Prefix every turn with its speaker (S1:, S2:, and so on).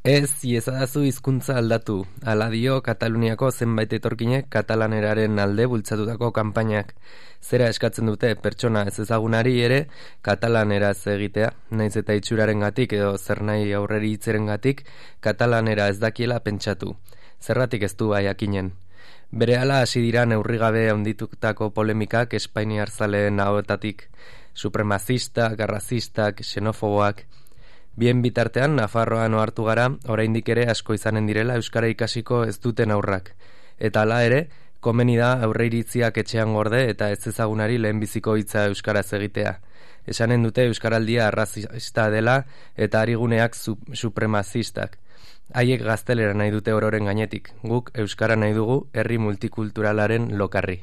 S1: Ez iezadazu hizkuntza aldatu, hala dio Kataluniako zenbait etorkinek katalaneraren alde bultzatutako kanpainak. Zera eskatzen dute pertsona ez ezagunari ere katalaneraz egitea, naiz eta itxurarengatik edo zernahi aurreri hitzerengatik katalanera ez dakiela pentsatu. Zerratik ez du jakinen. Berehala hasi dira neurrigabe handitutako polemikak espainiar zaleen ahoetatik, supremazistak, arrazistak, xenofoboak. Bien bitartean, Nafarroan ohartu gara, oraindik ere asko izanen direla euskara ikasiko ez duten aurrak. Eta hala ere, komeni da aurreiritziak etxean gorde eta ez ezagunari lehenbiziko hitza euskaraz egitea. Esanen dute euskaraldia arrazista dela eta ariguneak supremazistak. Haiek gaztelera nahi dute ororen gainetik, guk euskara nahi dugu herri multikulturalaren lokarri.